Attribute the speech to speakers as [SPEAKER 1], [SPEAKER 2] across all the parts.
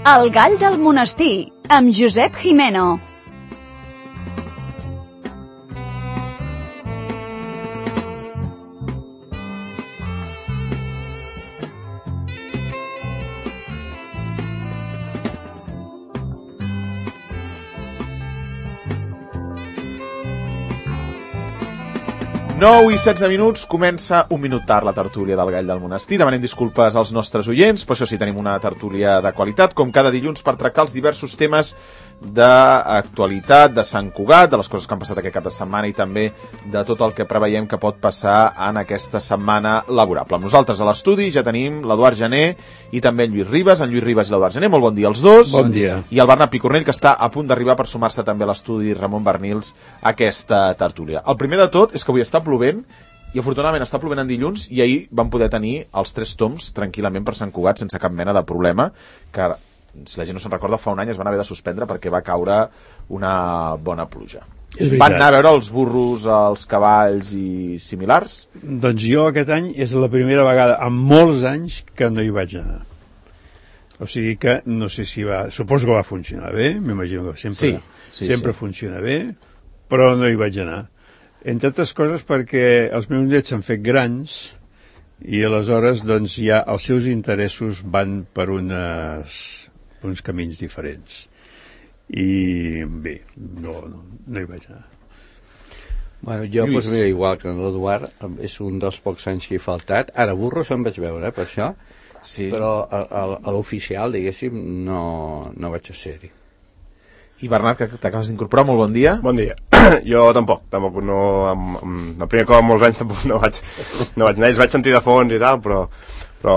[SPEAKER 1] El gall del monestir, amb Josep Jimeno.
[SPEAKER 2] Nou i 16 minuts, comença un minut tard la tertúlia del Gall del Monestir. Demanem disculpes als nostres oients, però això sí, tenim una tertúlia de qualitat, com cada dilluns, per tractar els diversos temes d'actualitat, de Sant Cugat, de les coses que han passat aquest cap de setmana i també de tot el que preveiem que pot passar en aquesta setmana laborable. Amb nosaltres a l'estudi ja tenim l'Eduard Gené i també en Lluís Ribas. En Lluís Ribas i l'Eduard Gené, molt bon dia als dos.
[SPEAKER 3] Bon dia.
[SPEAKER 2] I el Bernat Picornell, que està a punt d'arribar per sumar-se també a l'estudi Ramon Bernils a aquesta tertúlia. El primer de tot és que avui està plovent i afortunadament està plovent en dilluns i ahir vam poder tenir els 3 toms tranquil·lament per Sant Cugat sense cap mena de problema, que si la gent no se'n recorda, fa un any es van haver de suspendre perquè va caure una bona pluja. Van anar a veure els burros, els cavalls i similars?
[SPEAKER 3] Doncs jo aquest any és la primera vegada en molts anys que no hi vaig anar. O sigui que no sé si va... Suposo que va funcionar bé, m'imagino que sempre funciona bé, però no hi vaig anar. Entre altres coses perquè els meus nets s'han fet grans i aleshores doncs ja els seus interessos van per uns camins diferents. I bé, no hi vaig anar.
[SPEAKER 4] Bueno, jo, doncs mira, igual que l'Eduard, és un dels pocs anys que he faltat. Ara, burros em vaig veure, per això, sí. Però a l'oficial, diguéssim, no vaig a ser-hi.
[SPEAKER 2] I Bernat, que t'acabes d'incorporar, molt bon dia.
[SPEAKER 5] Bon dia. Jo tampoc no, el primer cop en molts anys tampoc no vaig anar, els vaig sentir de fons i tal, però no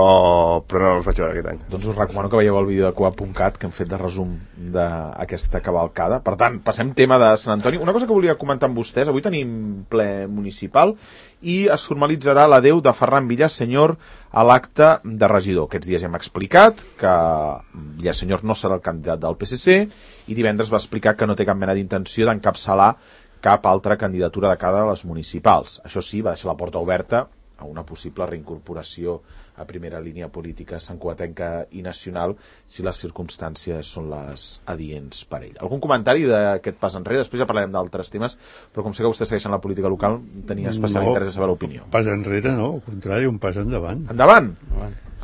[SPEAKER 5] els vaig veure aquest any.
[SPEAKER 2] Doncs us recomano que veieu el vídeo de Coa.cat que hem fet de resum d'aquesta cavalcada. Per tant, passem tema de Sant Antoni. Una cosa que volia comentar amb vostès, avui tenim ple municipal i es formalitzarà l'adeu de Ferran Villasenyor a l'acte de regidor. Aquests dies hem explicat que Villasenyor no serà el candidat del PSC i divendres va explicar que no té cap mena d'intenció d'encapçalar cap altra candidatura de cara a les municipals. Això sí, va deixar la porta oberta a una possible reincorporació a primera línia política santcugatenca i nacional si les circumstàncies són les adients per ell. Algun comentari d'aquest pas enrere? Després ja parlarem d'altres temes, però com sé que vostès segueixen la política local, tenia especial interès a saber l'opinió.
[SPEAKER 3] Pas enrere no, al contrari, un pas endavant.
[SPEAKER 2] Endavant?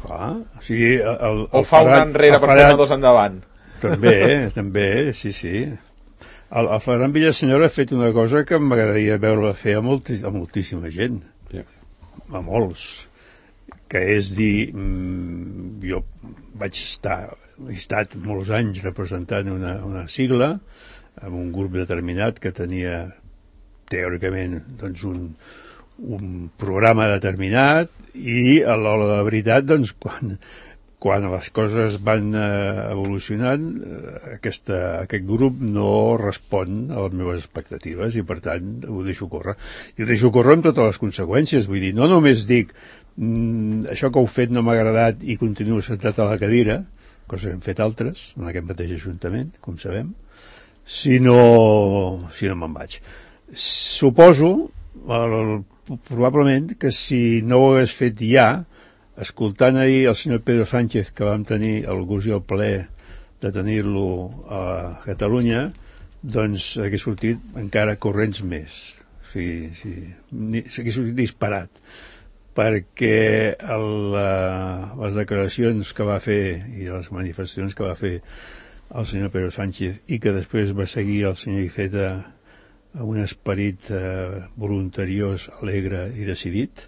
[SPEAKER 3] Clar, o sigui...
[SPEAKER 2] O fa un enrere per fer dos endavant?
[SPEAKER 3] També, sí. El Ferran Villasenyor ha fet una cosa que m'agradaria veure fer a moltíssima gent, a molts, que és dir, jo he estat molts anys representant una sigla amb un grup determinat que tenia teòricament doncs un programa determinat i a l'hora de la veritat doncs quan les coses van evolucionant aquest grup no respon a les meves expectatives i per tant ho deixo córrer. I ho deixo córrer amb totes les conseqüències, vull dir, no només dic això que heu fet no m'ha agradat i continuo sentat a la cadira, cosa que hem fet altres en aquest mateix ajuntament, com sabem, si no me'n vaig. Suposo, probablement, que si no ho hagués fet ja, escoltant ahir el senyor Pedro Sánchez, que vam tenir el gust i el plaer de tenir-lo a Catalunya, doncs hagués sortit encara corrents més. O sigui, hagués sortit disparat, perquè les declaracions que va fer i les manifestacions que va fer el senyor Pedro Sánchez i que després va seguir el senyor Iceta amb un esperit voluntariós, alegre i decidit,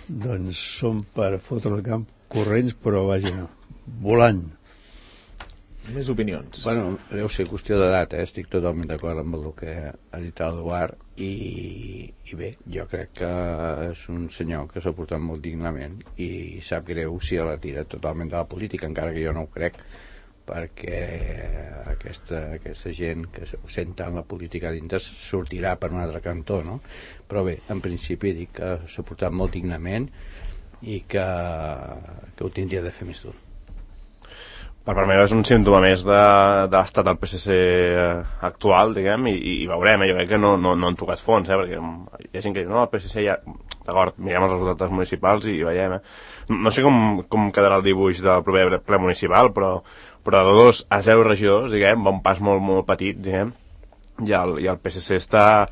[SPEAKER 3] doncs són per fotre el camp corrents, però vaja, volant.
[SPEAKER 2] Més opinions.
[SPEAKER 4] Bueno, deu ser qüestió d'edat, estic totalment d'acord amb el que ha dit l'Eduard i bé, jo crec que és un senyor que s'ha portat molt dignament i sap greu si la tira totalment de la política, encara que jo no ho crec, perquè aquesta gent que ho senta en la política dintre sortirà per un altre cantó, no? Però bé, en principi dic que s'ha portat molt dignament i que ho tindria de fer més dur.
[SPEAKER 5] Per part meva és un símptoma més de l'estat del PSC actual, diguem, i veurem, jo crec que no han tocat fons, perquè hi ha gent que diu, no, el PSC ja... d'acord, mirem els resultats municipals i veiem, No sé com quedarà el dibuix del proper ple municipal, però de 2 a 0 regidors, diguem, va un pas molt, molt petit, diguem, i el PSC està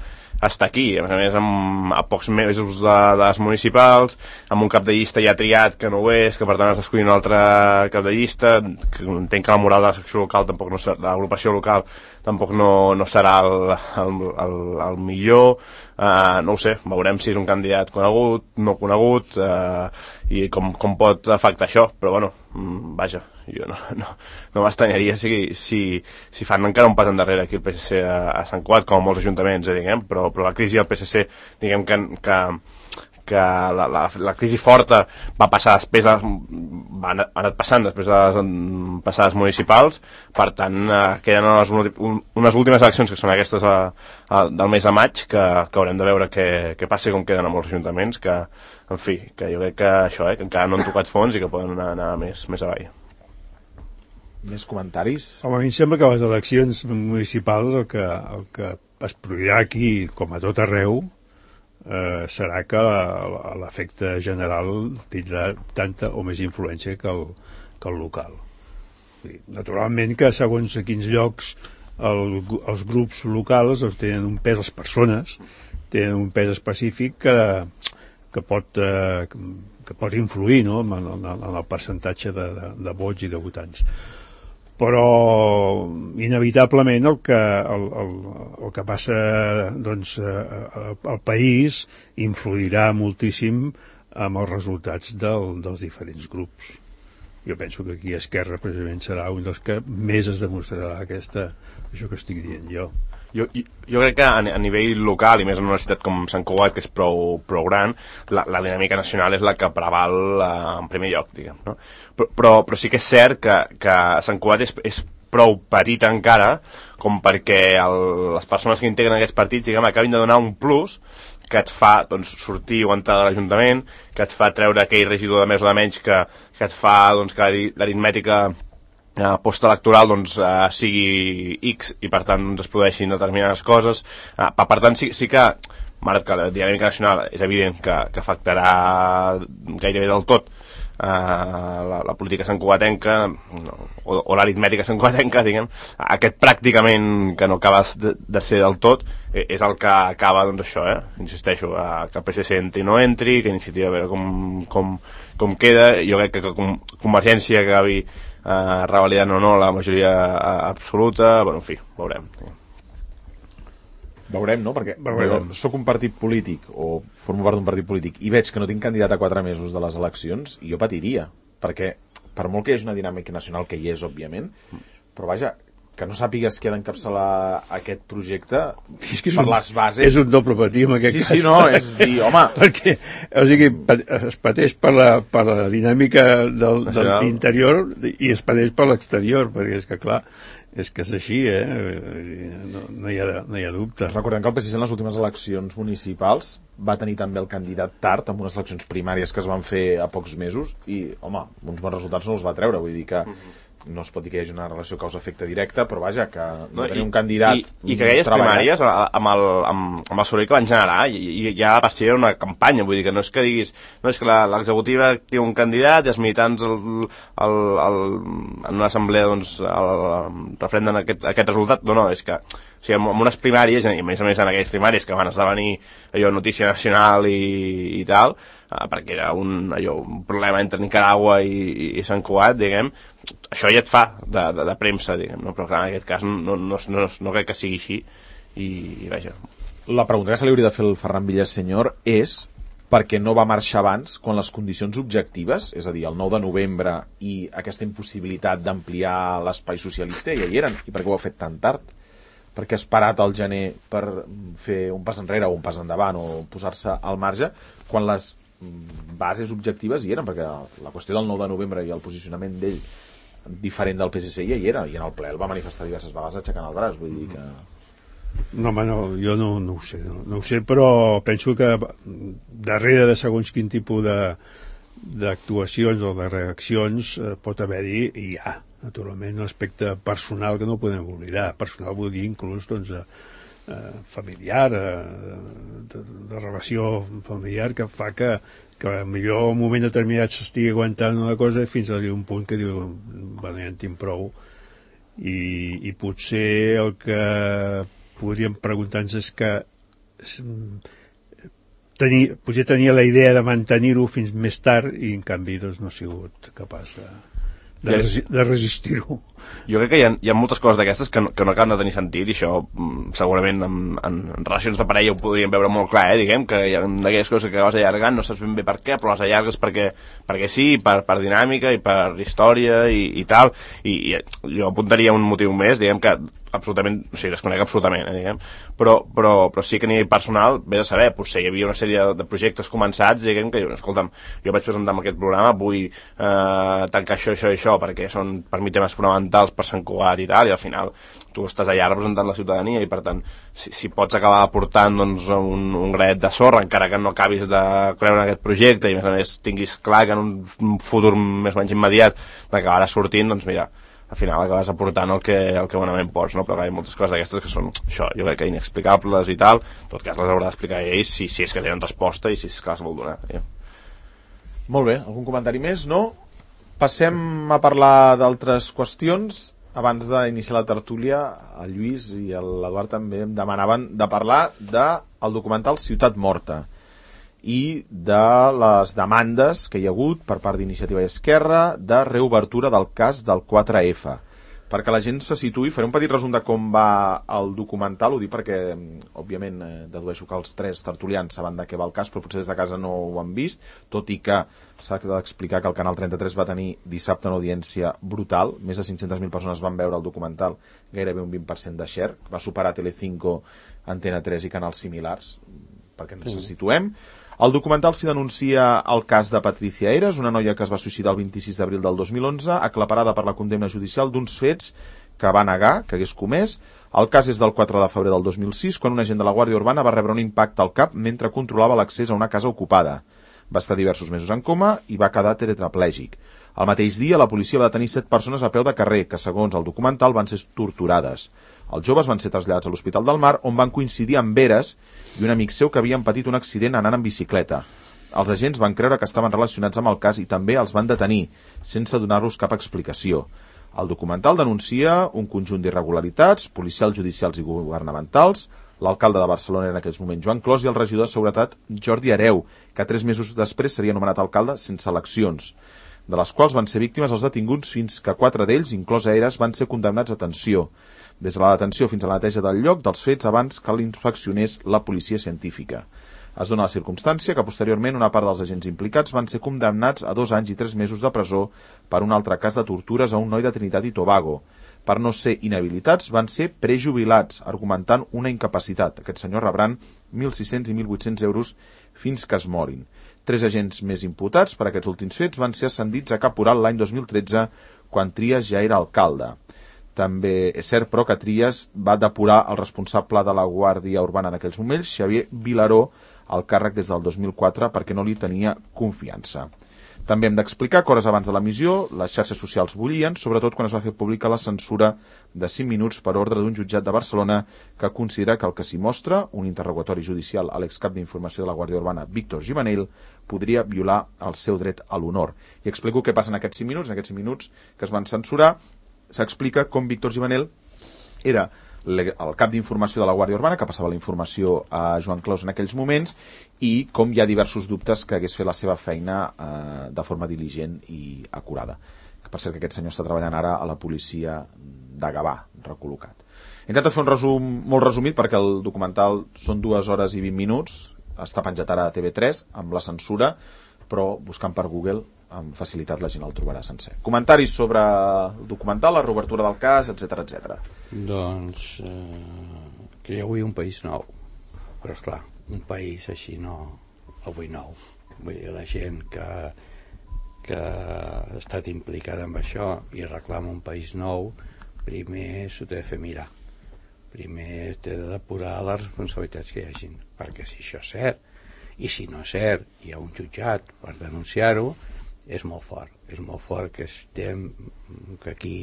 [SPEAKER 5] aquí, a més a pocs mesos de les municipals, amb un cap de llista ja triat que no ho és, que per tant has d'escollir un altre cap de llista, que entenc que la moral de la secció local tampoc no serà, l'agrupació local tampoc no serà el millor, no ho sé, veurem si és un candidat conegut, no conegut, i com pot afectar això, però bueno, vaja, jo no m'estranyaria si fan encara un pas endarrere aquí el PSC a Sant Cugat, com molts ajuntaments, diguem, però la crisi del PSC, diguem que la crisi forta va passar després va anat passant després de les passades municipals, per tant queden unes últimes eleccions que són aquestes del mes de maig, que haurem de veure què passa, com queden a molts ajuntaments, que en fi, que jo crec que això, que encara no han tocat fons i que poden anar més avall.
[SPEAKER 2] Més comentaris?
[SPEAKER 3] Home, a mi em sembla que les eleccions municipals el que es produirà aquí, com a tot arreu, serà que l'efecte general tindrà tanta o més influència que el local. Naturalment que segons a quins llocs els grups locals tenen un pes, les persones tenen un pes específic que pot influir, no?, en el percentatge de vots i de votants. Però inevitablement el que passa doncs, al país influirà moltíssim amb els resultats dels diferents grups. Jo penso que aquí Esquerra precisament serà un dels que més es demostrarà això que estic dient jo.
[SPEAKER 5] Jo crec que a nivell local, i més en una ciutat com Sant Cugat, que és prou gran, la dinàmica nacional és la que preval en primer lloc, diguem, no? Però sí que és cert que Sant Cugat és prou petit encara com perquè les persones que integren aquests partits, diguem, acabin de donar un plus que et fa doncs, sortir o entrar de l'Ajuntament, que et fa treure aquell regidor de més o de menys, que et fa doncs, que l'aritmètica postelectoral doncs, sigui X i per tant doncs, es produeixin determinades coses. Per tant sí que malgrat que la dinàmica nacional és evident que afectarà gairebé del tot la política santcugatenca o l'aritmètica santcugatenca, diguem, aquest pràcticament que no acaba de ser del tot és el que acaba, doncs això, insisteixo, que el PSC entri o no entri, que Iniciativa a veure com queda. Jo crec que Convergència acabi revalidant o no la majoria absoluta, bueno, en fi, veurem.
[SPEAKER 2] Veurem, no? Perquè jo soc un partit polític o formo part d'un partit polític i veig que no tinc candidat a 4 mesos de les eleccions i jo patiria, perquè per molt que hi hagi una dinàmica nacional, que hi és, òbviament, però vaja, que no sàpigues qui ha d'encapçalar aquest projecte per les bases...
[SPEAKER 3] És un doble patir en aquest cas.
[SPEAKER 2] Sí, no, és dir, home...
[SPEAKER 3] Perquè, o sigui, es pateix per la dinàmica de l'interior i es pateix per l'exterior, perquè és que, clar, és que és així, no hi ha dubte.
[SPEAKER 2] Recordem que el PSC en les últimes eleccions municipals va tenir també el candidat tard amb unes eleccions primàries que es van fer a pocs mesos i, home, uns bons resultats no els va treure, vull dir que no es pot dir que hi hagi una relació causa-efecte directa, però vaja, que no tenir un candidat
[SPEAKER 5] i que aquelles primàries amb el soroll que van generar i ja va ser una campanya, vull dir que no és que diguis no és que l'executiva té un candidat i els militants en una assemblea doncs refrenden aquest resultat, no, és que o sigui, en unes primàries, i a més en aquelles primàries que van esdevenir allò notícia nacional i tal, perquè era un problema entre Nicaragua i Sant Cugat, diguem, això ja et fa de premsa, diguem, no? Però clar, en aquest cas no crec que sigui així i vaja.
[SPEAKER 2] La pregunta que se li hauria de fer el Ferran Villasenyor és per què no va marxar abans quan les condicions objectives, és a dir, el 9 de novembre i aquesta impossibilitat d'ampliar l'espai socialista ja hi eren, i per què ho ha fet tan tard? Per què ha esperat al gener per fer un pas enrere o un pas endavant o posar-se al marge quan les bases objectives hi eren, perquè la qüestió del 9 de novembre i el posicionament d'ell diferent del PSC ja hi era, i en el ple el va manifestar diverses vegades aixecant el braç, vull dir que...
[SPEAKER 3] No, home, no, jo no ho sé, no ho sé, però penso que darrere de segons quin tipus d'actuacions o de reaccions pot haver-hi, i hi ha, naturalment, un aspecte personal que no podem oblidar. Personal vull dir inclús doncs, familiar, de relació familiar, que fa que millor en un moment determinat s'estigui aguantant una cosa fins a un punt que diu, bueno, ja en tinc prou. I potser el que podríem preguntar-nos és que potser tenia la idea de mantenir-ho fins més tard i en canvi doncs, no ha sigut capaç de resistir-ho.
[SPEAKER 5] Jo crec que hi ha moltes coses d'aquestes que no acaben de tenir sentit, i això segurament en relacions de parella ho podríem veure molt clar, diguem, que hi ha d'aquelles coses que acabes allargant, no saps ben bé per què, però les allargues perquè sí, per dinàmica i per història i tal, i jo apuntaria un motiu més, diguem, que absolutament, o sigui, desconec absolutament, diguem, però sí que a nivell personal, vés a saber, potser hi havia una sèrie de projectes començats, diguem, que escolta'm, jo vaig presentar aquest programa, vull tancar això i això, perquè són per mi temes fonamentals per Sant Cugat i tal, i al final tu estàs allà representant la ciutadania i per tant, si pots acabar aportant doncs, un granet de sorra, encara que no acabis de creure en aquest projecte i a més tinguis clar que en un futur més o menys immediat d'acabar sortint, doncs mira, al final acabes aportant el que bonament pots, no? Però hi ha moltes coses d'aquestes que són, això, jo crec que inexplicables i tal, en tot cas les haurà d'explicar ells si és que tenen resposta i si és que les vol donar.
[SPEAKER 2] Molt bé, algun comentari més, no? Passem a parlar d'altres qüestions. Abans d'iniciar la tertúlia, el Lluís i l'Eduard també em demanaven de parlar del documental Ciutat Morta i de les demandes que hi ha hagut per part d'Iniciativa i Esquerra de reobertura del cas del 4F. Perquè la gent se situï, faré un petit resum de com va el documental, ho dic perquè, òbviament, dedueixo que els tres tertulians saben de què va el cas, però potser des de casa no ho han vist, tot i que s'ha d'explicar que el Canal 33 va tenir dissabte una audiència brutal, més de 500.000 persones van veure el documental, gairebé un 20% de share, va superar Telecinco, Antena 3 i canals similars, perquè ens situem. Al documental s'hi denuncia el cas de Patricia Eras, una noia que es va suïcidar el 26 d'abril del 2011, aclaparada per la condemna judicial d'uns fets que va negar que hagués comès. El cas és del 4 de febrer del 2006, quan un agent de la Guàrdia Urbana va rebre un impacte al cap mentre controlava l'accés a una casa ocupada. Va estar diversos mesos en coma i va quedar tetraplègic. El mateix dia, la policia va detenir 7 persones a peu de carrer, que segons el documental van ser torturades. Els joves van ser traslladats a l'Hospital del Mar, on van coincidir amb Eras i un amic seu que havien patit un accident anant en bicicleta. Els agents van creure que estaven relacionats amb el cas i també els van detenir, sense donar-los cap explicació. El documental denuncia un conjunt d'irregularitats, policials, judicials i governamentals. L'alcalde de Barcelona en aquells moments, Joan Clos, i el regidor de Seguretat, Jordi Hereu, que 3 mesos després seria nomenat alcalde sense eleccions, de les quals van ser víctimes els detinguts fins que 4 d'ells, inclòs Eras, van ser condemnats a detenció. Des de la detenció fins a la neteja del lloc dels fets abans que l'inspeccionés la policia científica. Es dona la circumstància que posteriorment una part dels agents implicats van ser condemnats a 2 anys i 3 mesos de presó per un altre cas de tortures a un noi de Trinitat i Tobago. Per no ser inhabilitats van ser prejubilats, argumentant una incapacitat. Aquests senyors rebran 1.600 i 1.800 euros fins que es morin. 3 agents més imputats per aquests últims fets van ser ascendits a caporal l'any 2013, quan Trias ja era alcalde. També és cert, però, que Trias va depurar el responsable de la Guàrdia Urbana en aquells moments, Xavier Vilaró, al càrrec des del 2004 perquè no li tenia confiança. També hem d'explicar que hores abans de l'emissió les xarxes socials bullien, sobretot quan es va fer pública la censura de 5 minuts per ordre d'un jutjat de Barcelona que considera que el que s'hi mostra, un interrogatori judicial a l'excap d'informació de la Guàrdia Urbana, Víctor Gimenell, podria violar el seu dret a l'honor. I explico què passa en aquests 5 minuts, que es van censurar. S'explica com Víctor Gimenell era el cap d'informació de la Guàrdia Urbana, que passava la informació a Joan Clos en aquells moments, i com hi ha diversos dubtes que hagués fet la seva feina de forma diligent i acurada. Per cert, que aquest senyor està treballant ara a la policia de Gavà, recol·locat. He intentat fer un resum molt resumit perquè el documental són 2 hores i 20 minuts, està penjat ara a TV3 amb la censura, però buscant per Google amb facilitat la gent el trobarà sencer. Comentaris sobre el documental, la reobertura del cas, etc.
[SPEAKER 4] Doncs que hi ha avui un país nou, però esclar, un país així no, avui nou. Vull dir, la gent que ha estat implicada en això i reclama un país nou, primer s'ho té de fer mirar. Primer té de depurar les responsabilitats que hi hagin, perquè si això és cert, i si no és cert, hi ha un jutjat per denunciar-ho, és molt fort que estem, que aquí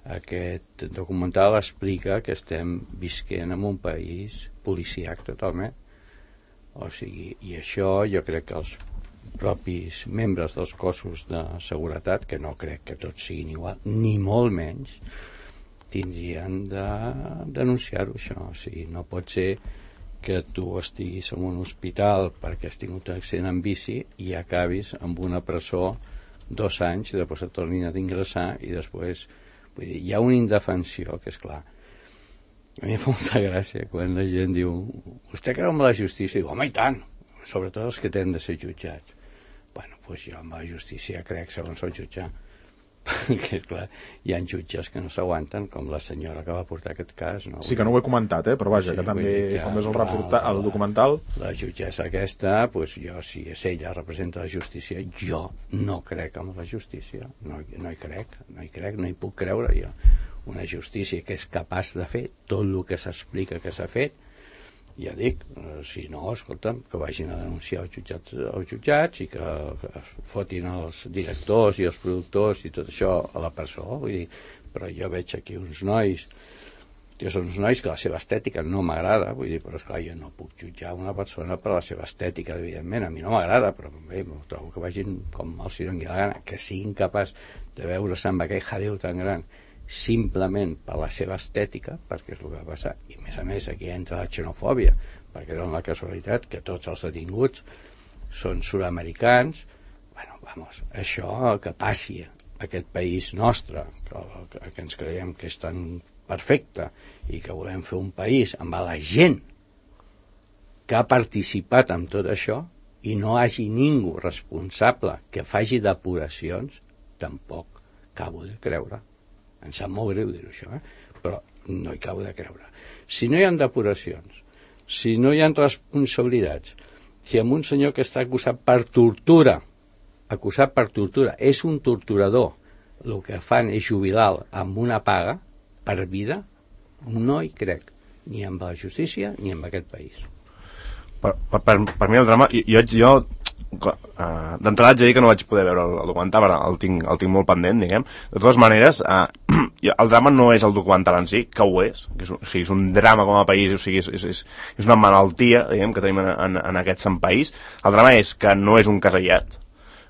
[SPEAKER 4] Aquest documental explica que estem visquent en un país policíac totalment. O sigui, i això jo crec que els propis membres dels cossos de seguretat, que no crec que tots siguin igual, ni molt menys, tindrien de denunciar-ho, això. O sigui, no pot ser que tu estiguis en un hospital perquè has tingut un accident en bici i acabis amb una presó 2 anys i després et tornin a ingressar i després, vull dir, hi ha una indefensió que és clar. A mi em fa molta gràcia quan la gent diu vostè creu en la justícia? I diu, home, i tant, sobretot els que tenen de ser jutjats. Bueno, doncs jo amb la justícia crec segons el jutjar. Perquè, clar, hi ha jutges que no s'aguanten, com la senyora que va portar aquest cas. No?
[SPEAKER 2] Sí, que no ho he comentat, però vaja, sí, que també, com és el documental...
[SPEAKER 4] La jutgessa aquesta, doncs jo, si és ella representa la justícia, jo no crec en la justícia. No hi crec, no hi puc creure jo. Una justícia que és capaç de fer tot el que s'explica que s'ha fet, ja dic, si no, escolta'm, que vagin a denunciar els jutjats i que fotin els directors i els productors i tot això a la presó, vull dir, però jo veig aquí uns nois que són uns nois que la seva estètica no m'agrada, vull dir, però esclar, jo no puc jutjar una persona per la seva estètica, evidentment, a mi no m'agrada, però bé, trobo que vagin com els doni la gana, que siguin capaç de veure's amb aquell jaleo tan gran simplement per la seva estètica, perquè és el que va passar, i a més aquí entra la xenofòbia, perquè dona la casualitat que tots els detinguts són sud-americans. Bueno, vamos, això que passi a aquest país nostre, que ens creiem que és tan perfecte i que volem fer un país amb la gent que ha participat en tot això i no hagi ningú responsable que faci depuracions, tampoc acabo de creure. Em sap molt greu dir-ho, això, però no hi acabo de creure. Si no hi ha depuracions, si no hi ha responsabilitats, si amb un senyor que està acusat per tortura, és un torturador, el que fan és jubilar amb una paga per vida, no hi crec, ni amb la justícia ni amb aquest país.
[SPEAKER 5] Per mi el drama, jo d'entrada haig de dir que no vaig poder veure el documental, el tinc molt pendent, diguem. De totes maneres, el drama no és el documental en si, que ho és, és un drama com a país, o sigui, és una malaltia, diguem, que tenim en aquest sant país. El drama és que no és un cas aïllat,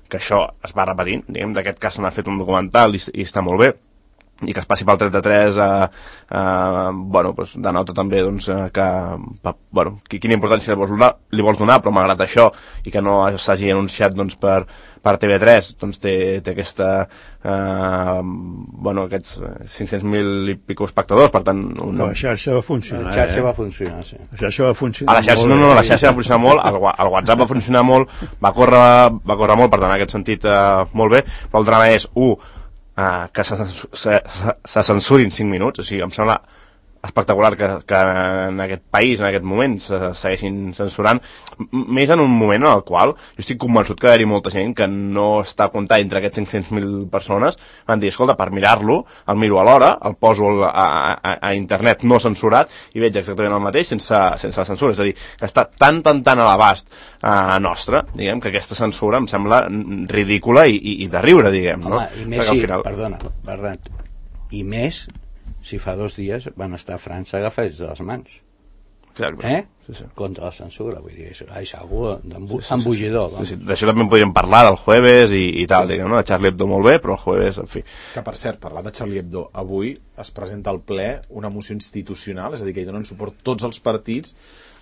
[SPEAKER 5] que això es va repetint, diguem, d'aquest cas se n'ha fet un documental i està molt bé, i que es passi pel 33 bueno, doncs denota també doncs, que bueno, quina importància li vols donar, però malgrat això i que no s'hagi anunciat doncs, per TV3 doncs té aquesta bueno, aquests 500.000 i pico espectadors, per tant
[SPEAKER 3] la xarxa va funcionar,
[SPEAKER 4] la xarxa va funcionar, sí.
[SPEAKER 3] La xarxa va funcionar
[SPEAKER 5] la xarxa,
[SPEAKER 3] molt,
[SPEAKER 5] la xarxa va funcionar molt, el WhatsApp va funcionar molt, va córrer molt, per tant en aquest sentit molt bé, però el drama és que se censurin 5 minuts, o sigui, em sembla espectacular que en aquest país, en aquest moment, se segueixin censurant, més en un moment en el qual jo estic convençut que hi ha molta gent que no està comptant entre aquests 500.000 persones, van dir, escolta, per mirar-lo, el miro a l'hora, el poso a internet no censurat i veig exactament el mateix sense la censura, és a dir, que està tan a l'abast nostre, diguem, que aquesta censura em sembla ridícula i de riure, diguem, no?
[SPEAKER 4] Home, i més sí, perdona, i més si fa 2 dies van estar a França agafats de les mans.
[SPEAKER 5] Exacte.
[SPEAKER 4] Sí. Contra la censura, vull dir, és algú embogidor.
[SPEAKER 5] Sí. D'això també en podríem parlar del jueves i tal, diguem, no? De Charlie Hebdo molt bé, però el jueves, en fi.
[SPEAKER 2] Que per cert, parlant de Charlie Hebdo, avui es presenta al ple una moció institucional, és a dir, que hi donen suport tots els partits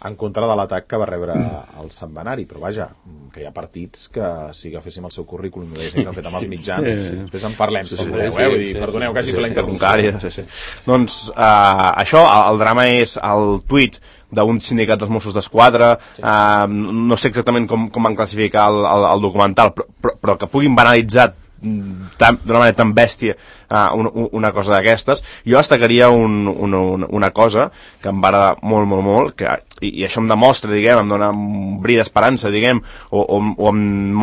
[SPEAKER 2] en contra de l'atac que va rebre el setmanari, però vaja, que hi ha partits que si agaféssim el seu currículum i que han fet amb els mitjans, després en parlem, si voleu, vull dir, perdoneu que hagi fet la interrupció.
[SPEAKER 5] Sí. Doncs això, el drama és el tuit d'un sindicat dels Mossos d'Esquadra, no sé exactament com van classificar el documental, però que puguin banalitzar d'una manera tan bèstia una cosa d'aquestes. Jo destacaria una cosa que em va agradar molt, i això em demostra, diguem, em dona un bri d'esperança, diguem, o em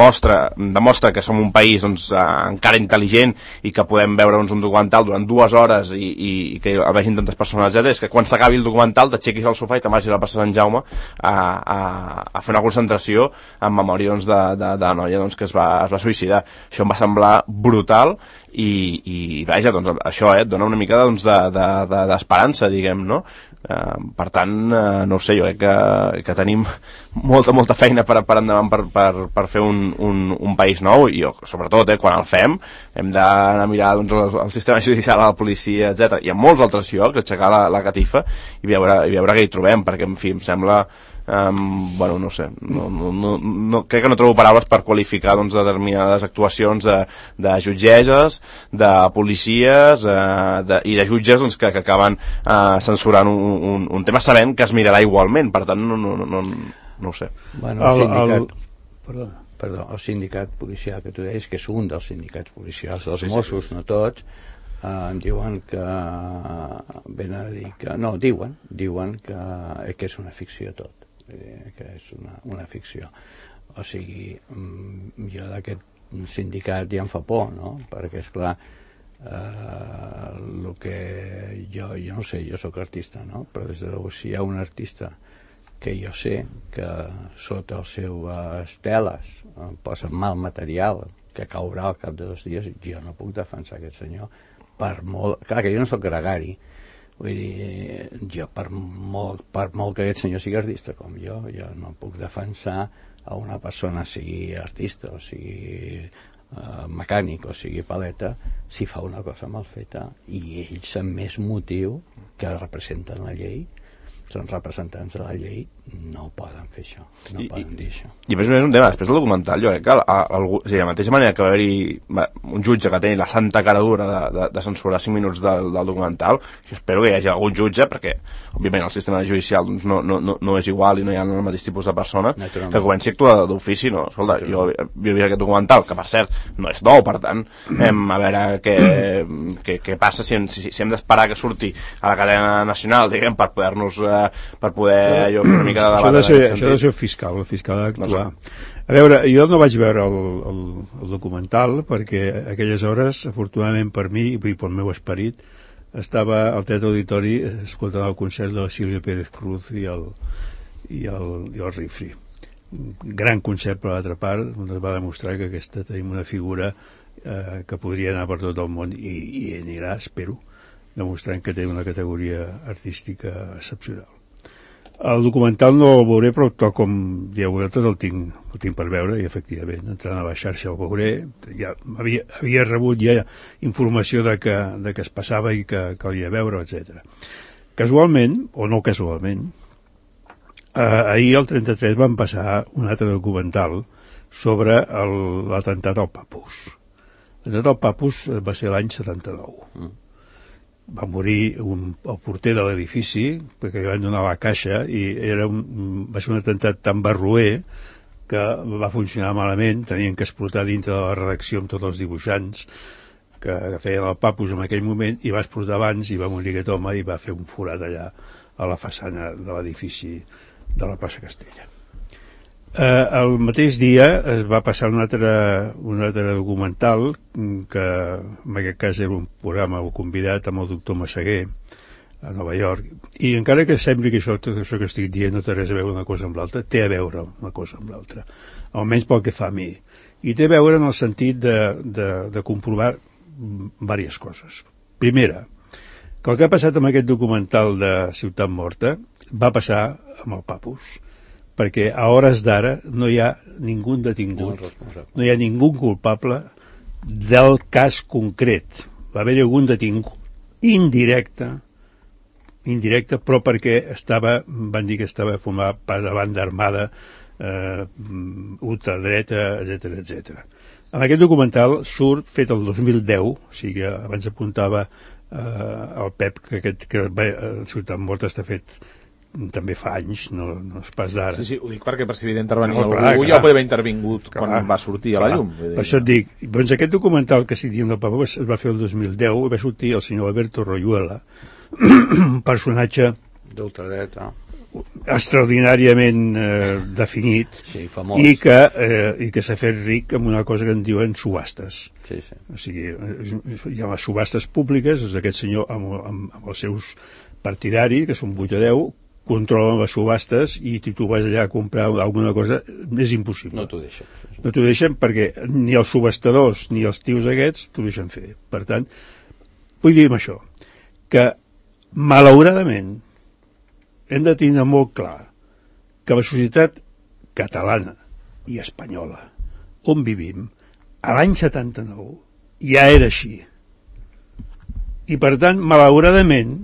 [SPEAKER 5] demostra que som un país doncs, encara intel·ligent i que podem veure un documental durant 2 hores i que el vegin tantes persones, etc. És que quan s'acabi el documental t'aixequis al sofà i te'n vagis a la plaça Sant Jaume a fer una concentració en memòria doncs, de la noia doncs, que es va suïcidar. Això em va semblar brutal i vaja, doncs això et dona una mica doncs, d'esperança, diguem, no? Per tant, no ho sé, jo crec que tenim molta feina per endavant per fer un país nou, i sobretot quan el fem hem d'anar a mirar doncs, el sistema judicial, la policia, etc. i en molts altres llocs, aixecar la catifa i veure què hi trobem, perquè en fi, em sembla bueno, no sé, no, crec que no trobo paraules per qualificar doncs, determinades actuacions de jutgesses, de policies i de jutges doncs, que acaben censurant un tema sabent que es mirarà igualment, per tant no ho sé.
[SPEAKER 4] Bueno, el sindicat policial que tu deies, que és un dels sindicats policials dels Mossos, no tots, diuen que venen a dir que no, diuen que és una ficció tot, que és una ficció. O sigui, jo d'aquest sindicat ja em fa por, no? Perquè esclar, el que jo no sé, jo sóc artista, no? Però des de llavors si hi ha un artista que jo sé que sota les seves teles posa mal material que caurà al cap de 2 dies, jo no puc defensar aquest senyor per molt... Clar que jo no sóc gregari, vull dir, jo per molt que aquest senyor sigui artista com jo no puc defensar a una persona, sigui artista o sigui mecànic o sigui paleta, si fa una cosa mal feta i ells amb més motiu que representen la llei, són representants de la llei, no poden fer això, no poden dir això.
[SPEAKER 5] I a més un tema, després del documental, jo crec que de la mateixa manera que va haver-hi un jutge que tenia la santa cara dura de censurar 5 minuts del documental, jo espero que hi hagi algun jutge, perquè òbviament el sistema judicial doncs, no és igual i no hi ha el mateix tipus de persona, que comenci a actuar d'ofici, no? Escolta, jo he vist aquest documental, que per cert no és nou, per tant, a veure què passa si hem d'esperar que surti a la cadena nacional, diguem, per poder allò una mica de debat.
[SPEAKER 3] Això ha de ser el fiscal ha d'actuar. A veure, jo no vaig veure el documental perquè a aquelles hores, afortunadament per mi i pel meu esperit, estava al Teatre Auditori escoltant el concert de la Sílvia Pérez Cruz i el Rifri. Gran concert per l'altra part, on es va demostrar que tenim una figura que podria anar per tot el món i anirà, espero, demostrant que té una categoria artística excepcional. El documental no el veuré, però tal com dieu vosaltres el tinc per veure, i efectivament, entrant a la xarxa el veuré. Ja havia rebut ja informació de que es passava i que calia veure, etc. Casualment, o no casualment, ahir al 33 van passar un altre documental sobre l'atemptat al Papus. L'atemptat al Papus va ser l'any 79. Va morir el porter de l'edifici perquè li van donar la caixa i va ser un atemptat tan barroer que va funcionar malament, tenien que explotar dintre de la redacció amb tots els dibuixants que feien el Papus en aquell moment, i va explotar abans i va morir aquest home i va fer un forat allà a la façana de l'edifici de la plaça Castella. El mateix dia es va passar un altre documental que en aquest cas era un programa convidat amb el doctor Massaguer a Nova York, i encara que sembli que tot això que estic dient no té res a veure una cosa amb l'altra, té a veure una cosa amb l'altra, almenys pel que fa a mi, i té a veure en el sentit de comprovar diverses coses. Primera, que el que ha passat amb aquest documental de Ciutat Morta va passar amb el Papus, perquè a hores d'ara no hi ha ningú detingut, no hi ha ningú culpable del cas concret. Va haver-hi algun detingut indirecte, però perquè van dir que estava format per la banda armada, ultradreta, etc. En aquest documental surt, fet el 2010, o sigui, abans apuntava el Pep que Ciutat Morta està fet també fa anys, no és pas d'ara.
[SPEAKER 2] Sí, ho dic perquè per si havia d'intervenir algú ja podria haver intervingut quan va sortir a la llum.
[SPEAKER 3] Per això et dic, doncs aquest documental que estic dient del Papa es va fer el 2010 i va sortir el senyor Alberto Royuela, un personatge
[SPEAKER 4] d'ultradreta
[SPEAKER 3] extraordinàriament definit,
[SPEAKER 4] sí, famós,
[SPEAKER 3] i que s'ha fet ric amb una cosa que en diuen subhastes.
[SPEAKER 4] Sí.
[SPEAKER 3] O sigui, hi ha les subhastes públiques, és aquest senyor amb els seus partidaris, que són 8 o 10, controlen les subhastes i si tu vas allà a comprar alguna cosa és impossible.
[SPEAKER 4] No t'ho deixen.
[SPEAKER 3] No t'ho deixen perquè ni els subhastadors ni els tios aquests t'ho deixen fer. Per tant, vull dir això, que malauradament hem de tenir molt clar que la societat catalana i espanyola on vivim a l'any 79 ja era així. I per tant, malauradament,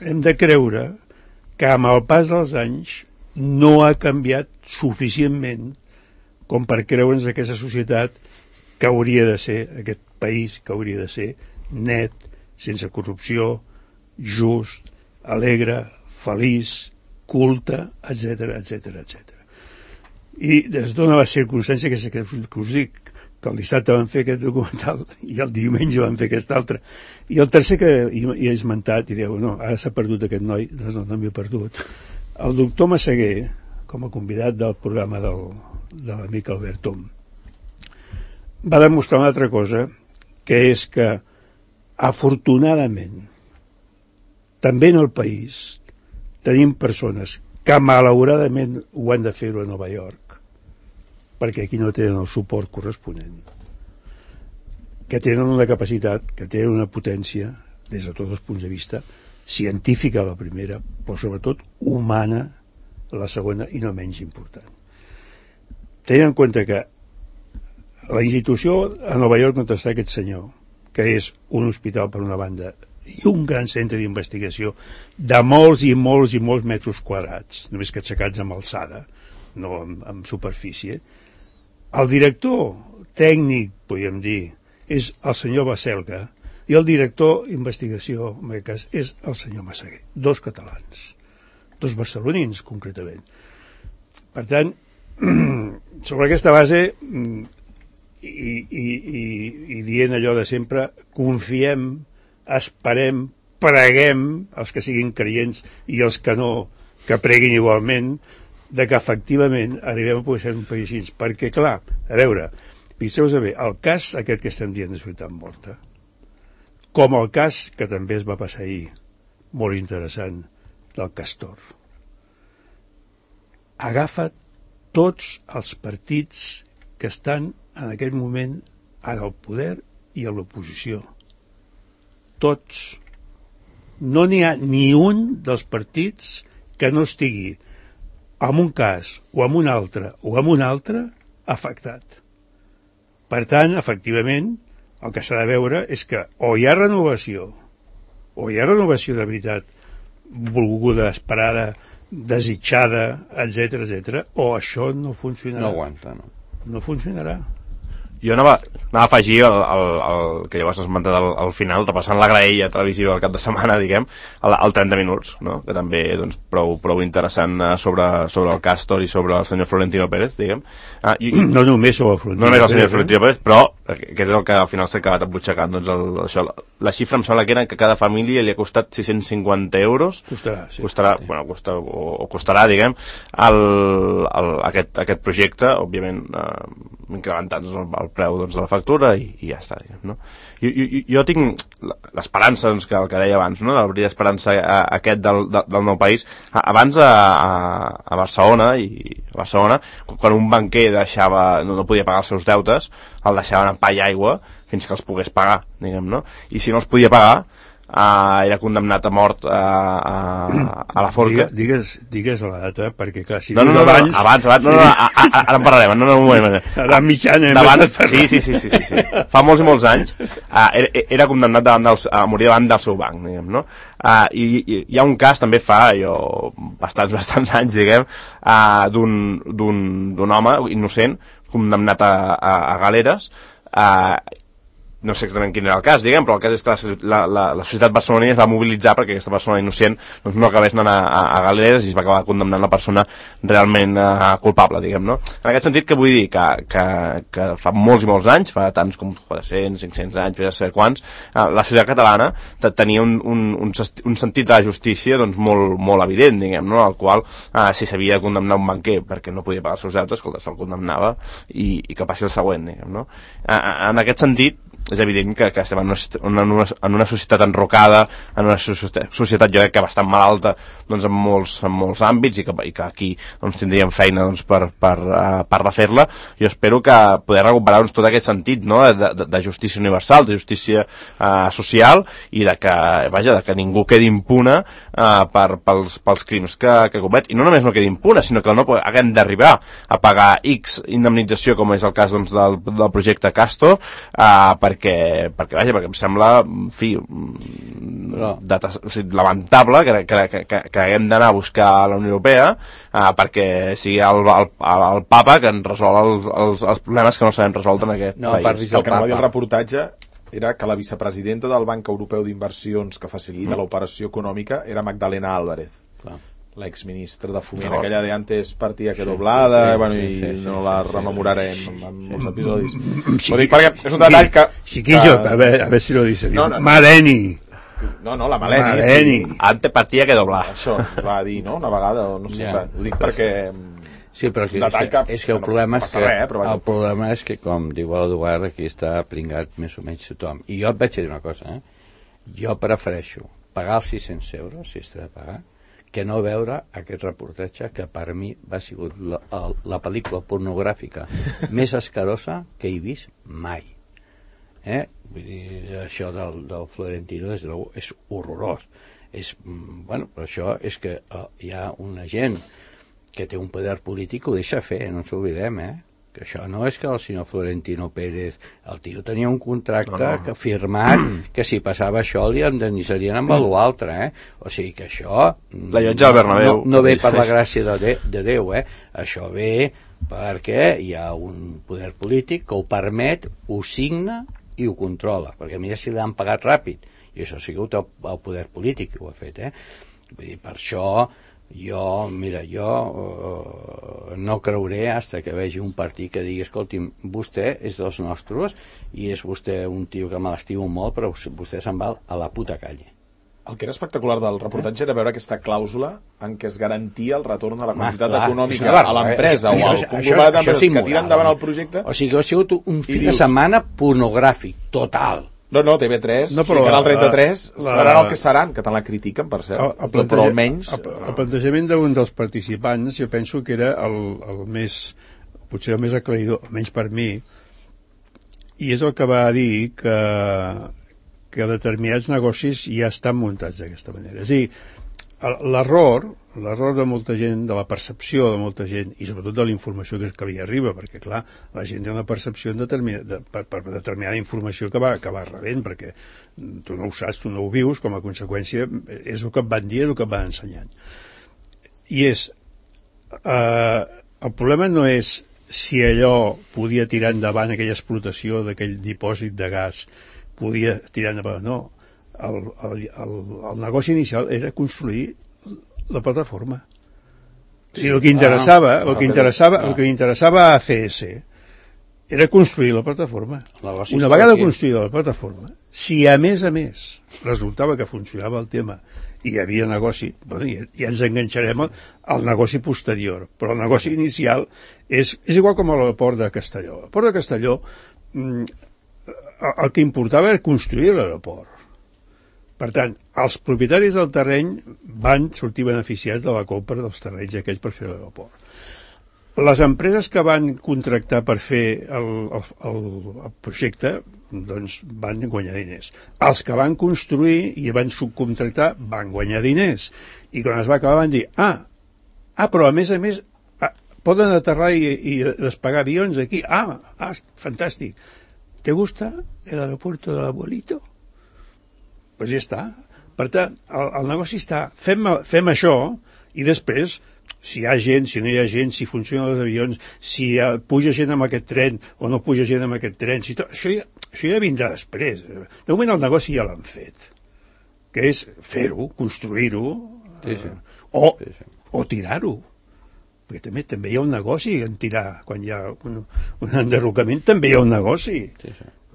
[SPEAKER 3] hem de creure que amb el pas dels anys no ha canviat suficientment com per creure'ns aquesta societat que hauria de ser, aquest país que hauria de ser net, sense corrupció, just, alegre, feliç, culte, etc etc. I es dona la circumstància que us dic, que el dissabte van fer aquest documental i el diumenge van fer aquest altre. I el tercer que hi he esmentat, i dieu, no, ara s'ha perdut aquest noi, no m'he perdut. El doctor Massaguer, com a convidat del programa de l'amic Albert Tom, va demostrar una altra cosa, que és que, afortunadament, també en el país, tenim persones que malauradament ho han de fer-ho a Nova York, perquè aquí no tenen el suport corresponent, que tenen una capacitat, que tenen una potència, des de tots els punts de vista, científica la primera, però sobretot humana la segona i no menys important. Tenint en compte que la institució a Nova York on està aquest senyor, que és un hospital per una banda i un gran centre d'investigació de molts i molts i molts metres quadrats, només que aixecats amb alçada, no amb superfície. El director tècnic, podríem dir, és el senyor Baselga i el director d'investigació, en aquest cas, és el senyor Massaguer. Dos catalans, dos barcelonins, concretament. Per tant, sobre aquesta base i dient allò de sempre, confiem, esperem, preguem, els que siguin creients i els que no, que preguin igualment, de que efectivament arribem a poder ser un país així, perquè clar, a veure, fixeu-vos bé, el cas aquest que estem dient de Ciutat Morta, com el cas que també es va passar ahir, molt interessant, del Castor, agafa tots els partits que estan en aquest moment en el poder i a l'oposició. Tots. No n'hi ha ni un dels partits que no estigui en un cas o en un altre afectat. Per tant, efectivament, el que s'ha de veure és que o hi ha renovació de veritat volguda, esperada, desitjada, etc, o això no funcionarà.
[SPEAKER 4] No aguanta, no.
[SPEAKER 3] No funcionarà.
[SPEAKER 5] Jo anava a afegir el que llavors has esmentat al final, repassant la graella televisiva del cap de setmana, diguem, el 30 minuts, no? Que també doncs, prou interessant sobre el Castor i sobre el senyor Florentino Pérez, diguem.
[SPEAKER 3] No només sobre el Florentino Pérez.
[SPEAKER 5] No només el senyor Florentino Pérez, però que és el que al final s'ha acabat embutxacant. Doncs això, la xifra em sembla que era que cada família li ha costat 650 euros.
[SPEAKER 3] Costarà, sí.
[SPEAKER 5] Costarà, diguem, aquest projecte, òbviament, incrementant el preu doncs, de la factura i ja està, diguem, no? Jo tinc l'esperança, doncs, que el que deia abans, no? El brillant esperança aquest del nou país. Abans a Barcelona, quan un banquer no podia pagar els seus deutes, el deixaven en pa i aigua fins que els pogués pagar, diguem, no? I si no els podia pagar, era condemnat a mort a la forca.
[SPEAKER 3] Digues la data, perquè clar, si
[SPEAKER 5] abans, ara en parlarem, un moment.
[SPEAKER 3] Ara mitjana.
[SPEAKER 5] Sí. Fa molts i molts anys era condemnat a morir davant del seu banc, diguem, no? I hi ha un cas, també fa bastants anys, diguem, d'un home innocent condemnat a galeres, no sé exactament quin era el cas, diguem, però el cas és que la societat barcelonina es va mobilitzar perquè aquesta persona innocent doncs, no acabés anant a galeres i es va acabar condemnant la persona realment culpable, diguem, no? En aquest sentit, que vull dir que fa molts i molts anys, fa tants com 400, 500 anys, ja saber quants, la societat catalana tenia un sentit de la justícia doncs, molt evident, diguem, no? Al qual, si s'havia de condemnar un banquer perquè no podia pagar els seus deutes, escolta, se'l condemnava i que passi el següent, diguem, no? En aquest sentit, és evident que estem en una societat enrocada, en una societat jo crec que bastant malalta, doncs, en molts àmbits, i que aquí doncs, tindríem feina doncs, per refer-la. Jo espero que poder recuperar doncs, tot aquest sentit, no? de justícia universal, de justícia social, i de que ningú quedi impune pels crims que comet, i no només no quedi impune, sinó que no haguem d'arribar a pagar X indemnització, com és el cas doncs, del projecte Castor, perquè em sembla, en fi, lamentable que haguem d'anar a buscar a la Unió Europea perquè sigui el papa que ens resol els problemes que no sabem resoldre en aquest país.
[SPEAKER 2] El que no va dir el reportatge era que la vicepresidenta del Banc Europeu d'Inversions que facilita l'operació econòmica era Magdalena Álvarez, l'exministra de Foment, aquella de antes partida que doblada, i no la rememorarem en molts episodis. Ho dic perquè és un detall que...
[SPEAKER 3] Chiquillo, a ver si lo dice bien. Maleni.
[SPEAKER 2] No, la Maleni. Sí.
[SPEAKER 5] Antes partida que doblar.
[SPEAKER 2] Això va dir, no? Una vegada, no sé, ho dic perquè...
[SPEAKER 4] Sí, però és que el problema és que, com diu l'Eduard, aquí està pringat més o menys tothom. I jo et vaig dir una cosa, jo prefereixo pagar els 600 euros, si es de pagar, que no veure aquest reportatge que per mi va sigut la pel·lícula pornogràfica més escarosa que he vist mai. Vull dir, això del Florentino és horrorós. Però això és que hi ha una gent que té un poder polític que ho deixa fer, no ens oblidem, que això no és que el senyor Florentino Pérez, el tio tenia un contracte firmat que si passava això li indemnitzarien amb l'altre, o sigui que això
[SPEAKER 5] la llotja del Bernabéu
[SPEAKER 4] no ve per la gràcia de Déu, això ve perquè hi ha un poder polític que ho permet, ho signa i ho controla, perquè mira si l'han pagat ràpid, i això ha sigut el poder polític que ho ha fet, vull dir, per això jo no creuré fins que vegi un partit que digui escolti'm, vostè és dels nostres i és vostè un tio que me l'estimo molt, però vostè se'n va a la puta calle.
[SPEAKER 2] El que era espectacular del reportatge era veure aquesta clàusula en què es garantia el retorn de la quantitat econòmica a l'empresa o al conglomerat d'empreses que tiren endavant el projecte.
[SPEAKER 4] O sigui que ha sigut un fi de setmana pornogràfic, total.
[SPEAKER 2] No, TV3 i Canal 33 seran el que seran, que tant la critiquen, per cert, però almenys...
[SPEAKER 3] El plantejament d'un dels participants, jo penso que era el més, potser el més aclaridor, almenys per mi, i és el que va dir que determinats negocis ja estan muntats d'aquesta manera. És a dir, l'error de molta gent, de la percepció de molta gent, i sobretot de la informació que li arriba, perquè clar, la gent té una percepció per determinada informació que va rebent, perquè tu no ho saps, tu no ho vius, com a conseqüència és el que et van dir, el que et van ensenyant. I el problema no és si allò podia tirar endavant, aquella explotació d'aquell dipòsit de gas podia tirar endavant, no. El negoci inicial era construir la plataforma. Sí, el que interessava a ACS era construir la plataforma. Una vegada construïda la plataforma, si a més resultava que funcionava el tema i hi havia negoci, ja ens enganxarem al negoci posterior, però el negoci inicial és igual com a l'aeroport de Castelló. L'aeroport de Castelló, el que importava era construir l'aeroport. Per tant, els propietaris del terreny van sortir beneficiats de la compra dels terrenys aquells per fer l'aeroport. Les empreses que van contractar per fer el projecte doncs van guanyar diners. Els que van construir i van subcontractar van guanyar diners. I quan es va acabar van dir però a més poden aterrar i despegar avions aquí. Fantàstic. ¿Te gusta el aeropuerto del abuelito? Pues ja està. Per tant, el negoci està, fem això i després, si hi ha gent, si no hi ha gent, si funcionen els avions, si puja gent amb aquest tren o no puja gent amb aquest tren, això ja vindrà després. De moment el negoci ja l'han fet, que és fer-ho, construir-ho, o tirar-ho. Perquè també hi ha un negoci en tirar. Quan hi ha un enderrocament també hi ha un negoci.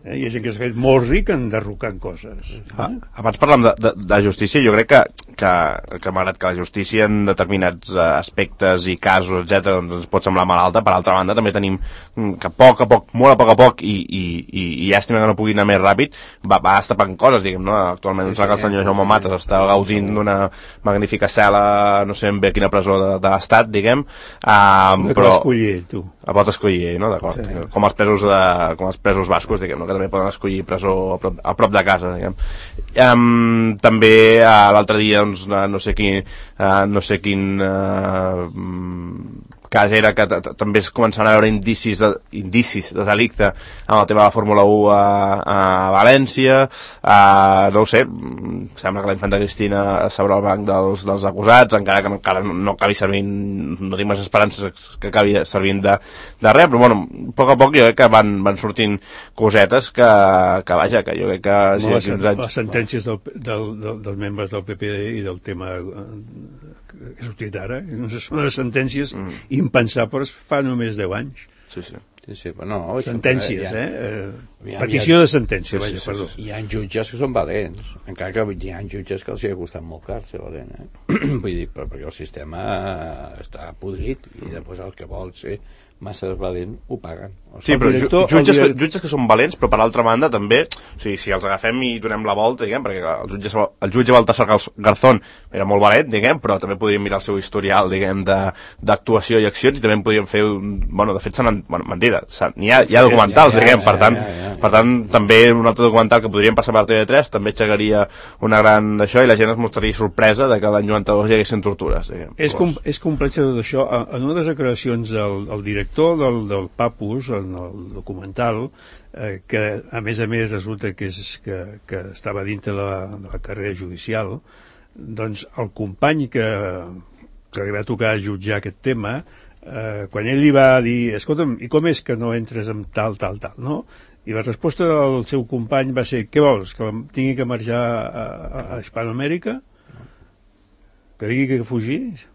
[SPEAKER 3] Hi ha gent que s'ha fet molt ric enderrocant coses.
[SPEAKER 5] Abans parlàvem de justícia, jo crec que malgrat que la justícia en determinats aspectes i casos, etc, doncs ens pot semblar malalta, per altra banda també tenim que a poc a poc, molt a poc i llàstima que no pugui anar més ràpid, va estapant coses, diguem, no? Actualment que el senyor Jaume Matas està gaudint d'una magnífica cel·la, no sé ben bé quina presó de l'estat, diguem, però...
[SPEAKER 3] escollir, tu.
[SPEAKER 5] Pot escollir, no? D'acord. Sí. Com els presos bascos, diguem, no? Que també poden escollir presó a prop de casa, diguem. També l'altre dia doncs, no sé quin cas era que també es començaven a veure indicis de delicte amb el tema de la Fórmula 1 a València, no ho sé, sembla que la infanta Cristina s'obre el banc dels acusats, encara que encara no acabi servint, no tinc més esperances que acabi servint de res, però bueno, a poc jo crec que van sortint cosetes que vaja, que jo crec que
[SPEAKER 3] les sentències dels membres del PP i del tema que ha sortit ara, són les sentències impensables fa només 10 anys.
[SPEAKER 4] Sí, però no,
[SPEAKER 3] sentències, petició de sentència, vaja, perdó.
[SPEAKER 4] Hi ha jutges que són valents, encara que hi ha jutges que els hi ha costat molt car ser valent, vull dir, perquè el sistema està podrit i després el que vol ser massa valent ho paguen.
[SPEAKER 5] Sí, però jutges que són valents, però per altra banda també, o sigui, si els agafem i donem la volta, diguem, perquè el jutge Baltasar Garzón era molt valent, diguem, però també podríem mirar el seu historial, diguem, d'actuació i accions, i també podríem fer de fet, mentida, n'hi ha documentals, diguem, per tant, també un altre documental que podríem passar per TV3 també aixecaria una gran d'això i la gent es mostraria sorpresa de que l'any 92 hi haguessin tortures, diguem.
[SPEAKER 3] És complex tot això. En unes declaracions del director del Papus, en el documental, que a més resulta que estava dintre de la carrera judicial, doncs el company que li va tocar jutjar aquest tema, quan ell li va dir, escolta'm, i com és que no entres en tal, no? I la resposta del seu company va ser, què vols, que tingui que marxar a Hispanoamèrica? Que digui que fugís?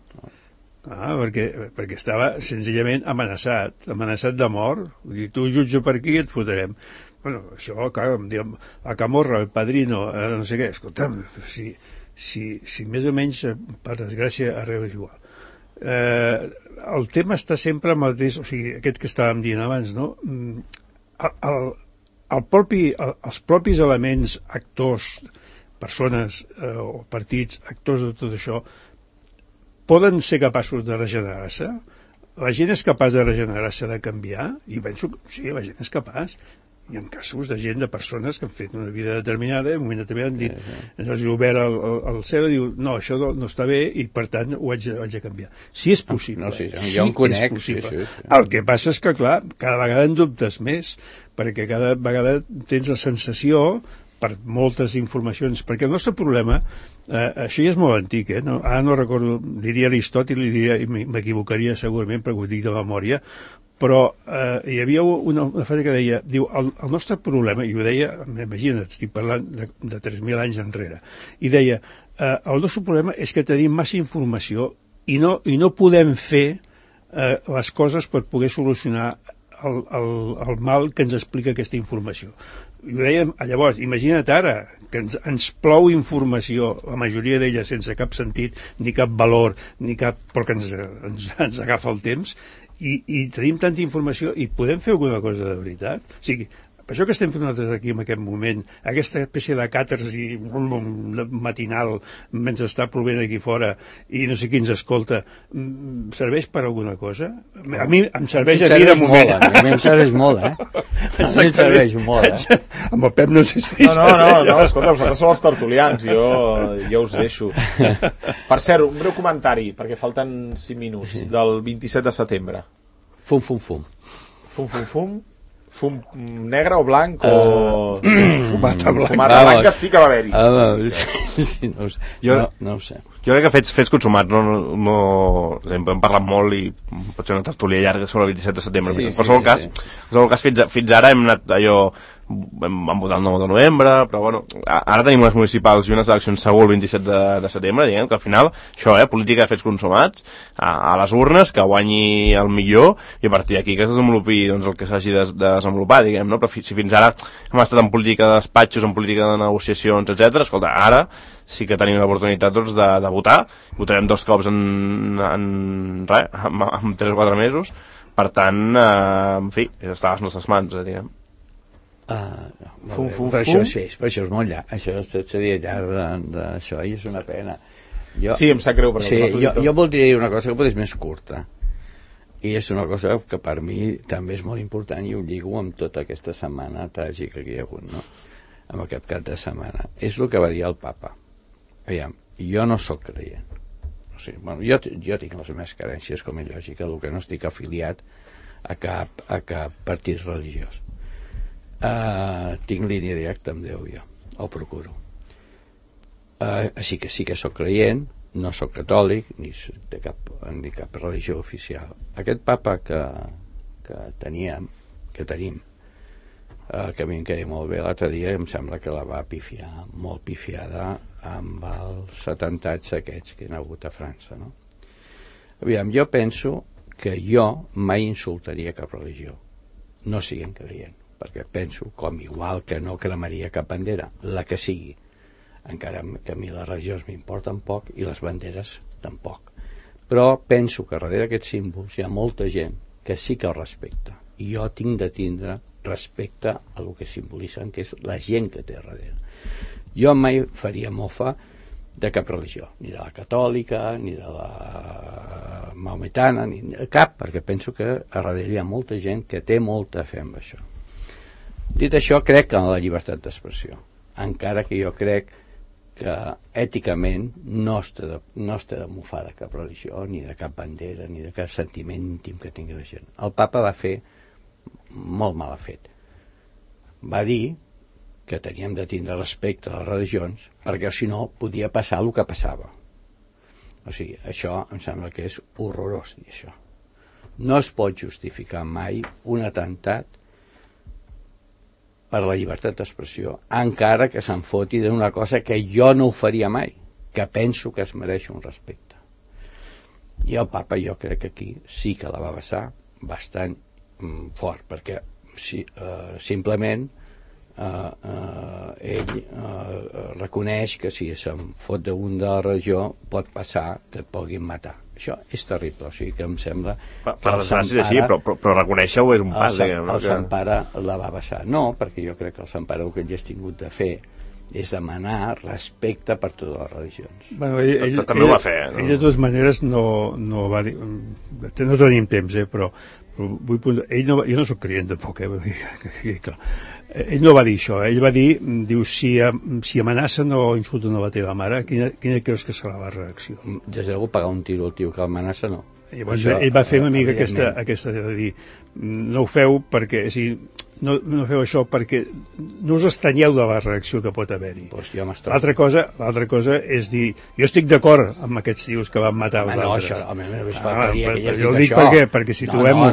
[SPEAKER 3] Perquè estava senzillament amenaçat de mort. Vull dir, tu jutja per aquí i et fotrem. Bueno, això, clar, em diuen, a Camorra, el Padrino, no sé què, escolta'm, si més o menys, per desgràcia, arreu és igual. El tema està sempre amb el mateix, o sigui, aquest que estàvem dient abans, no? Els propis elements, actors, persones o partits, actors de tot això, poden ser capaços de regenerar-se? La gent és capaç de regenerar-se, de canviar? I penso que sí, la gent és capaç. Hi ha casos de gent, de persones que han fet una vida determinada, en un moment determinat han dit, ens els ha obert el cel i diu, no, això no està bé i per tant ho haig de canviar. Si és possible.
[SPEAKER 4] No, sí, jo en conec. Sí.
[SPEAKER 3] El que passa és que, clar, cada vegada en dubtes més, perquè cada vegada tens la sensació, per moltes informacions, perquè el nostre problema, això ja és molt antic, ara no recordo, diria Aristòtil i m'equivocaria segurament perquè ho dic de memòria, però hi havia una frase que deia, diu, el nostre problema, i ho deia, imagina't, estic parlant de 3.000 anys enrere, i deia, el nostre problema és que tenim massa informació i no podem fer les coses per poder solucionar el mal que ens explica aquesta informació. I ho dèiem, llavors, imagina't ara que ens plou informació, la majoria d'ella sense cap sentit, ni cap valor, però que ens agafa el temps, i tenim tanta informació i podem fer alguna cosa de veritat? O sigui, per això que estem fent nosaltres aquí en aquest moment, aquesta espècie de càtarsi matinal mentre està plovent aquí fora i no sé qui ens escolta, serveix per alguna cosa? A mi em serveix a mi de moment.
[SPEAKER 4] A mi em serveix molt, A mi em serveix molt,
[SPEAKER 3] Amb el Pep no sé si...
[SPEAKER 2] No, escolta, vosaltres sou els tertulians, jo us deixo. Per cert, un breu comentari, perquè falten 5 minuts, del 27 de setembre.
[SPEAKER 4] Fum.
[SPEAKER 2] Fum negre o blanc o...
[SPEAKER 3] Fumata
[SPEAKER 2] blanca sí que va haver-hi.
[SPEAKER 4] Sí, no ho sé. No ho sé.
[SPEAKER 5] Jo crec que fets consumats hem parlat molt i pot ser una tertúlia llarga sobre el 27 de setembre. En qualsevol cas, fins ara hem anat allò van votar el 9 de novembre, però bueno, ara tenim unes municipals i unes eleccions segur el 27 de setembre, diguem que al final això, política de fets consumats, a les urnes, que guanyi el millor, i a partir d'aquí que es desenvolupi doncs, el que s'hagi de desenvolupar, diguem, no? Però si fins ara hem estat en política de despatxos, en política de negociacions, etc. Escolta, ara sí que tenim l'oportunitat doncs, de votar, votarem 2 cops en 3 o 4 mesos, per tant, en fi, està a les nostres mans, diguem.
[SPEAKER 4] Això és molt llarg, això seria llarg d'això, i és una pena.
[SPEAKER 2] Sí, em sap greu,
[SPEAKER 4] sí, jo voldria dir una cosa que potser és més curta, i és una cosa que per mi també és molt important, i ho lligo amb tota aquesta setmana tràgica que hi ha hagut, no? Amb aquest cap de setmana. És el que va dir el papa. Aviam, jo no sóc creient, o sigui, bueno, jo tinc les meves carències, com és lògica, el que no estic afiliat a cap partit religiós. Tinc línia directa amb Déu, jo ho procuro, així que sí que sóc creient, no sóc catòlic ni cap religió oficial. Aquest papa que tenim, que a mi em queda molt bé, l'altre dia em sembla que la va pifiar, molt pifiada, amb els atemptats aquests que hi ha hagut a França, no? Aviam, jo penso que jo mai insultaria cap religió, no siguin creient, perquè penso, com igual que no cremaria cap bandera, la que sigui, encara que a mi les religions m'importen poc i les banderes tampoc, però penso que darrere d'aquests símbols hi ha molta gent que sí que el respecta, i jo tinc de tindre respecte a el que simbolitzen, que és la gent que té darrere. Jo mai faria mofa de cap religió, ni de la catòlica, ni de la maometana, ni cap, perquè penso que a darrere hi ha molta gent que té molta fe en això. Dit això, crec en la llibertat d'expressió, encara que jo crec que èticament no està de mofar de cap religió, ni de cap bandera, ni de cap sentiment íntim que tingui la gent. El papa va fer molt mal fet. Va dir que teníem de tindre respecte a les religions, perquè si no podia passar el que passava. O sigui, això em sembla que és horrorós dir això. No es pot justificar mai un atemptat per la llibertat d'expressió, encara que se'n foti d'una cosa que jo no ho faria mai, que penso que es mereix un respecte. I el papa jo crec que aquí sí que la va vessar bastant fort, perquè simplement ell reconeix que si se'n fot d'un de la religió pot passar que et puguin matar. Això és terrible, o sigui que em sembla
[SPEAKER 5] per desgràcia és així, però reconèixer-ho és un pas,
[SPEAKER 4] el Sant Pare la va vessar. No, perquè jo crec que el Sant Pare el que ell ha tingut de fer és demanar respecte per totes les religions.
[SPEAKER 3] Bueno, també ho va fer, no? Ell de totes maneres no va dir, no tenim temps, però vull, jo no soc creient tampoc, clar. Ell no va dir això, ell va dir, diu, si amenacen o insulten a la teva mare, quina creus que serà la reacció?
[SPEAKER 4] Des de pagar un tiro al tio que amenaça, no.
[SPEAKER 3] Llavors, ell va fer una mica aquesta de dir, no ho feu perquè, no feu això perquè no us estranyeu de la reacció que pot haver-hi.
[SPEAKER 4] Pues
[SPEAKER 3] l'altra cosa és dir, jo estic d'acord amb aquests tios que van matar els altres. Jo ho dic perquè situem-ho.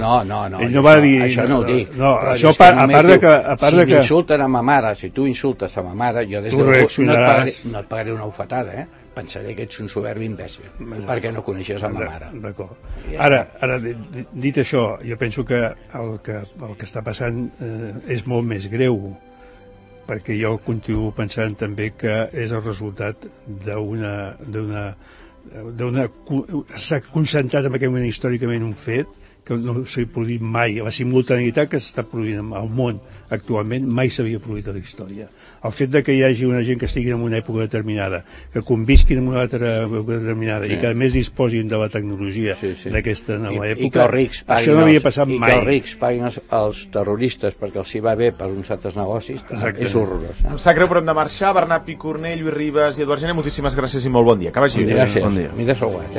[SPEAKER 3] Ell no va dir...
[SPEAKER 4] Això no ho dic.
[SPEAKER 3] No, això a part de que...
[SPEAKER 4] Si m'insulten a ma mare, si tu insultes a ma mare, jo des de no et pagaré una bufetada, pensaré que ets un soberbi imbècil, perquè no coneixes a ma mare.
[SPEAKER 3] D'acord. Ara, dit això, jo penso que el que està passant és molt més greu, perquè jo continuo pensant també que és el resultat s'ha concentrat en aquell moment històricament un fet que no s'ha produït mai, la simultaneïtat que s'està produint al món actualment mai s'havia produït a la història. El fet de que hi hagi una gent que estigui en una època determinada, que convisquin en una altra època determinada i que a més disposin de la tecnologia d'aquesta nova època, això no havia passat mai.
[SPEAKER 4] I que els rics paguin els terroristes perquè els hi va bé per uns altres negocis, és horrorós.
[SPEAKER 2] Em sap greu, però hem de marxar. Bernat Picornell, Lluís Ribas i Eduard Gené, moltíssimes gràcies i molt bon dia. Que vagi bé.
[SPEAKER 4] Gràcies. M'hi he desaguat,